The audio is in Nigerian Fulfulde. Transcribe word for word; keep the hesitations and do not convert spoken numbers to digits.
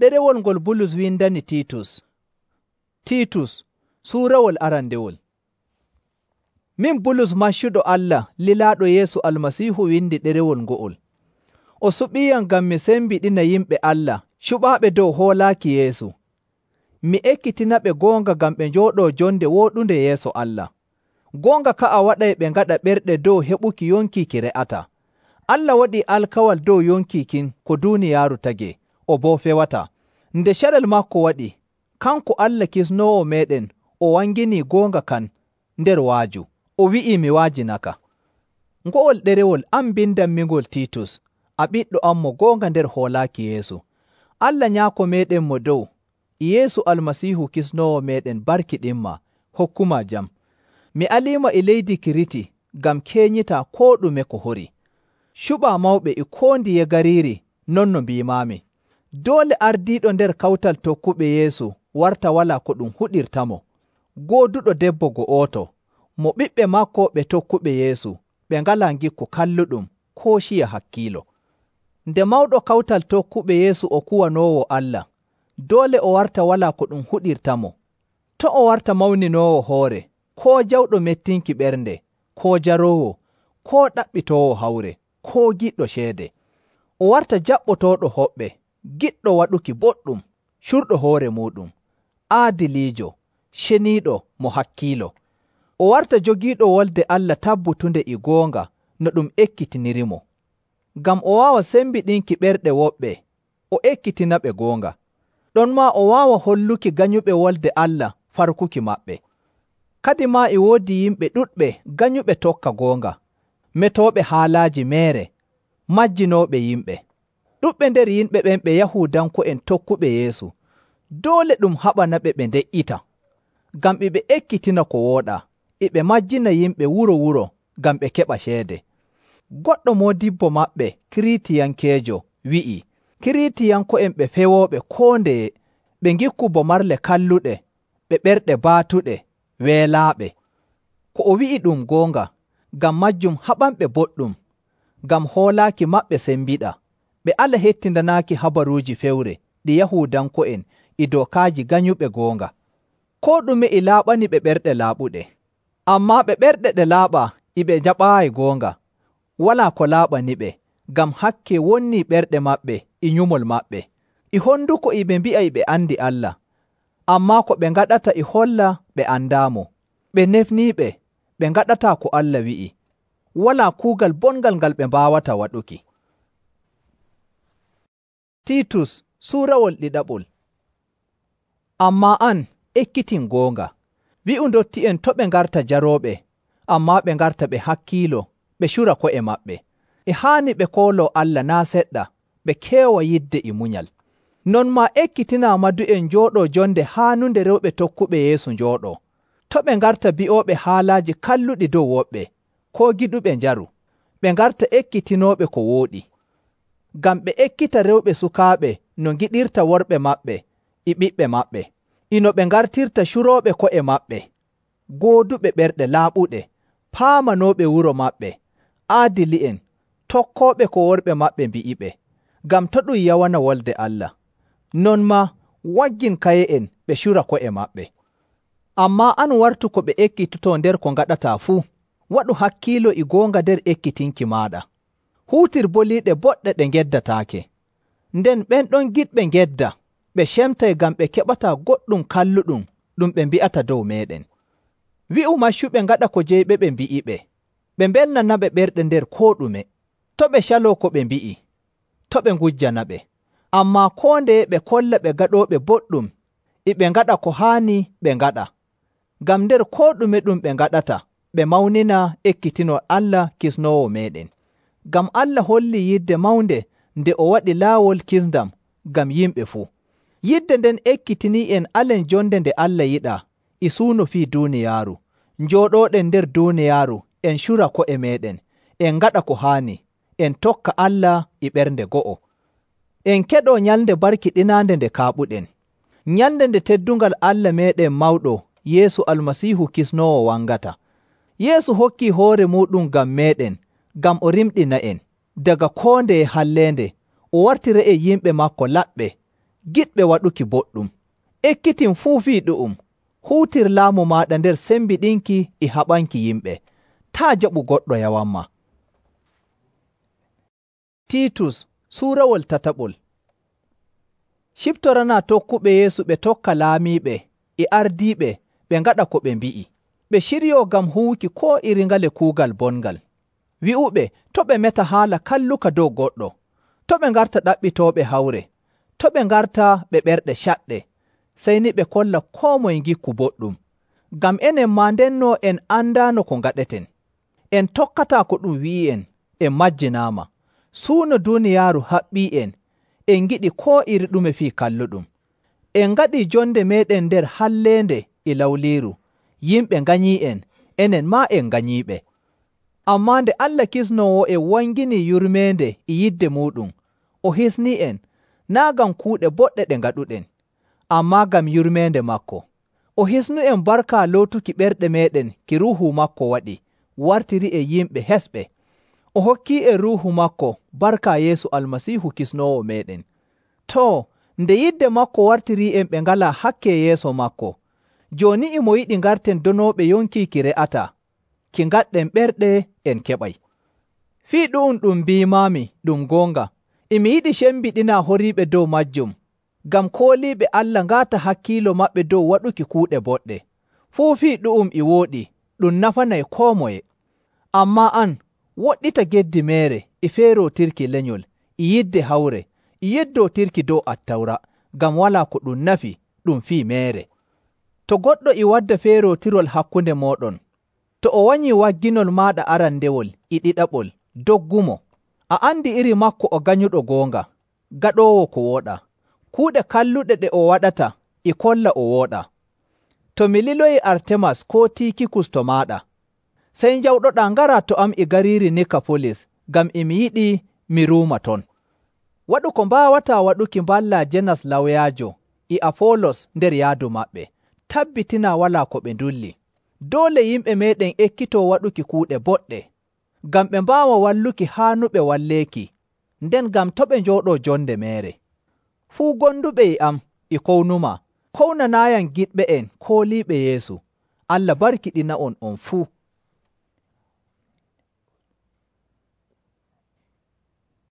Ɗerewol ngol Bulus windani Tiitus. Tiitus, suurawol arandewol. Min Bulus maccuɗo Allah lilaaɗo Yeesu Almasiihu windi ɗerewol ngo'ol. O suɓiiyam ngam mi sembiɗina yimɓe Allah cuɓaaɓe dow hoolaaki Yeesu. Mi ekkitinaɓe goonga ngam ɓe njooɗoo jonde wooɗunde yeeso Allah. Goonga ka'a waɗay ɓe ngaɗa ɓerɗe dow heɓuki yonki ki re'ataa. Allah waɗii alkawal dow yonki kin ko duuniyaaru tagee, o boo fewataa. Nde carel maako waɗi, kanko Allah Kisnoowo meeɗen o wanginii goonga kan nder wa'aju. O wi'ii mi wa'ajinaka. Ngo'ol ɗerewol an mbindanmingol Tiitus, a ɓiɗɗo am mo goonga nder hoolaaki Yeesu. Allah Nyaako meeɗen mo dow, Yeesu Almasiihu Kisnoowo meeɗen barkiɗinmaa, hokkumaa jam. Mi aliima e leydi Kiriti ngam keenyitaa koo ɗume ko hori. Cuɓaa mawɓe e koo ndiye gariiri non no mbiimaami. Doole ardiiɗo nder kawtal tokkuɓe Yeesu warta walaa ko ɗum huɗirtamo, gooduɗo debbo go'oto, mo ɓiɓɓe maako ɓe tokkuɓe Yeesu ɓe ngalaa ngikku kalluɗum koo ciya hakkiilo. Nde mawɗo kawtal tokkuɓe Yeesu o kuwanoowo Allah, doole o warta walaa ko ɗum huɗirtamo. To' o warta mawninoowo hoore, koo jawɗo mettinki ɓernde, koo jaroowo, koo ɗaɓɓitoowo hawre, koo giɗɗo ceede. O warta jaɓɓotooɗo hoɓɓe, giɗɗo waɗuki boɗɗum, curɗo hoore muuɗum, aadiliijo, ceniiɗo mo hakkiilo. O warta jogiiɗo wolde Allah tabbutunde e goonga no ɗum ekkitinirimo. Ngam o waawa sembiɗinki ɓerɗe woɓɓe, o ekkitinaɓe goonga. Ɗonmaa o waawa holluki ganyuɓe wolde Allah farkuki maɓɓe. Kadimaa e woodi yimɓe ɗuɗɓe ganyuɓe tokka goonga, metooɓe haalaaji meere, majjinooɓe yimɓe. Ɗuɗɓe nder yimɓe ɓen ɓe Yahuudanko'en tokkuɓe Yeesu. Doole ɗum haɓanaɓe ɓe nde'ita, ngam e ɓe ekkitina ko wooɗaa, e ɓe majjina yimɓe wuro-wuro ngam ɓe keɓa ceede. Goɗɗo moodibbo maɓɓe Kiritiyankeejo wi'ii, Kiritiyanko'en ɓe fewooɓe koo ndeye, ɓe ngikku bo marle kalluɗe, ɓe ɓerɗe baatuɗe, weelaaɓe. Ko o wi'i ɗum goonga, ngam majjum haɓanɓe boɗɗum, ngam hoolaaki maɓɓe sembiɗa, ɓe ala hettindanaaki habaruuji fewre ɗi Yahuudanko'en e dookaaji ganyuɓe goonga. Koo ɗume e laaɓani ɓe ɓerɗe laaɓuɗe, ammaa ɓe ɓerɗe ɗe laaɓaa e ɓe jaɓaayi goonga. Walaa ko laaɓaniɓe, ngam hakke wonnii ɓerɗe maɓɓe e nyumol maɓɓe. E honduko e ɓe mbi'a e ɓe andi Allah, ammaa ko ɓe ngaɗata e holla ɓe andaamo. Ɓe nefniiɓe, ɓe ngaɗataa ko Allah wi'i. Walaa kuugal bongal ngal ɓe mbaawata waɗuki. Tiitus suurawol ɗiɗaɓol. Ammaa an ekkitin goonga. Wi'u ndotti'en to' ɓe ngarta jarooɓe, ammaa ɓe ngarta ɓe hakkiilo, ɓe cura ko'e maɓɓe. E haani ɓe kooloo Allah naa' seɗɗa, ɓe keewa yidde e munyal. Non maa ekkitinaa madu'en njooɗoo jonde haanunde rewɓe tokkuɓe Yeesu njooɗoo. To' ɓe ngarta bi'ooɓe haalaaji kalluɗi dow woɓɓe, koo giɗuɓe njaru. Ɓe ngarta ekkitinooɓe ko wooɗi. Ngam ɓe ekkita rewɓe sukaaɓe no ngiɗirta worɓe maɓɓe e ɓiɓɓe maɓɓe, e no ɓe ngartirta curooɓe ko'e maɓɓe, gooduɓe ɓerɗe laaɓuɗe, paamanooɓe wuro maɓɓe, aadili'en, tokkooɓe ko worɓe maɓɓe mbi'iɓe, ngam to' ɗum yawana wolde Allah. Non maa waggin kaye'en ɓe cura ko'e maɓɓe. Ammaa an wartu ko ɓe ekkitotoo nder ko ngaɗataa fuu, waɗu hakkiilo e goonga nder ekkitinki maaɗa. Huutir boliiɗe boɗɗe ɗe ngeddataake. Nden ɓen ɗon giɗɓe ngedda, ɓe cemtay ngam ɓe keɓataa goɗɗum kalluɗum ɗum ɓe mbi'ata dow meeɗen. Wi'u maccuɓe ngaɗa ko jeyɓe ɓe mbi'iɓe, ɓe mbelnanaɓe ɓerɗe nder koo ɗume. To' ɓe caloo ko ɓe mbi'i, to' ɓe ngujjanaɓe. Ammaa koo ndeye ɓe kolla ɓe gaɗooɓe boɗɗum, e ɓe ngaɗa ko haani ɓe ngaɗa. Ngam nder koo ɗume ɗum ɓe ngaɗata, ɓe mawnina ekkitinol Allah Kisnoowo meeɗen. Ngam Allah hollii yidde mawnde nde o waɗi laawol kisndam ngam yimɓe fuu. Yidde nden ekkitinii en alen jonde nde Allah yiɗaa, e suuno fii duuniyaaru, njooɗooɗen nder duuniyaaru, en cura ko'e meeɗen, en ngaɗa ko haani, en tokka Allah e ɓernde go'o. En keɗoo nyalnde barkiɗinaande nde kaaɓuɗen, nyalnde nde teddungal Allah meeɗen mawɗo Yeesu Almasiihu Kisnoowo wangata. Yeesu hokkii hoore muuɗum ngam meeɗen, ngam o rimɗina en daga koo ndeye halleende, o wartira e yimɓe maako laɓɓe, giɗɓe waɗuki boɗɗum, ekkitin fuu fii ɗu'um, huutir laamu maaɗa nder sembiɗinki e haɓanki yimɓe, taa jaɓu goɗɗo yawanma. Tiitus suurawol tataɓol. Ciftoranaa tokkuɓe Yeesu ɓe tokka laamiiɓe e ardiiɓe ɓe ngaɗa ko ɓe mbi'i, ɓe ciryoo ngam huwuki koo iri ngale kuugal bongal. Wi'uɓe to' ɓe meta haala kalluka dow goɗɗo, to' ɓe ngarta ɗaɓɓitooɓe hawre, to' ɓe ngarta ɓe ɓerɗe caɗɗe, sey ni ɓe kolla koo moye ngikku boɗɗum. Ngam enen maa ndenno en andaano ko ngaɗeten. En tokkataa ko ɗum wi'i'en, en majjinaama. Suuno duuniyaaru haɓɓii'en, en ngiɗi koo iri ɗume fii kalluɗum. En ngaɗii jonde meeɗen nder halleende e lawliiru, yimɓe nganyii'en, enen maa en nganyiiɓe. Ammaa nde Allah Kisnoowo en wanginii yurmeende e yidde muuɗum, o hisnii'en, naa' ngam kuuɗe boɗɗe ɗe ngaɗuɗen, ammaa ngam yurmeende maako. O hisnu'en barka lootuki ɓerɗe meeɗen ki Ruuhu maako waɗi, wartiri en yimɓe hesɓe. O hokkii'en Ruuhu maako barka Yeesu Almasiihu Kisnoowo meeɗen. Too, nde yidde maako wartirii'en ɓe ngalaa hakke yeeso maako, jooni e mo yiɗi ngarten donooɓe yonki ki re'ataa, ki ngaɗɗen ɓerɗe en keɓay. Fii ɗu'um ɗum mbiimaami ɗum goonga, e mi yiɗi cembiɗinaa horiiɓe dow maajum, ngam kooliiɓe Allah ngaata hakkiilo maɓɓe dow waɗuki kuuɗe boɗɗe. Fuu fii ɗu'um e wooɗi, ɗum nafanay koo moye. Ammaa an, woɗɗita geddi meere e feerootirki lenyol, e yidde hawre, e yeddootirki dow Attawra, ngam walaa ko ɗum nafi ɗum fii meere. To goɗɗo e wadda feerootirol hakkunde mooɗon, to o wanyii wagginol maaɗa arandewol e ɗiɗaɓol, doggumo. A andi iri makko o ganyuɗo goonga, gaɗoowo ko wooɗaa. Kuuɗe kalluɗe ɗe o waɗata e kolla o wooɗaa. To mi liloyi Artemas koo Tiikikus to maaɗa, sey njawɗoɗaa ngaraa to am e gariiri Nikafolis, ngam e mi yiɗi mi ruuma ton. Waɗu ko mbaawataa waɗuki mballaa Jenas lawyaajo e Afoolos nder yaadu maɓɓe. Tabbitinaa walaa ko ɓe ndulli. Doole yimɓe meeɗen ekkitoo waɗuki kuuɗe boɗɗe, ngam ɓe mbaawa walluki haanuɓe walleeki, nden ngam to' ɓe njooɗoo jonde meere. Fuu gonduɓe e am e kownumaa, kownanaayam giɗɓe en kooliiɓe Yeesu. Allah barkiɗina'on on fuu.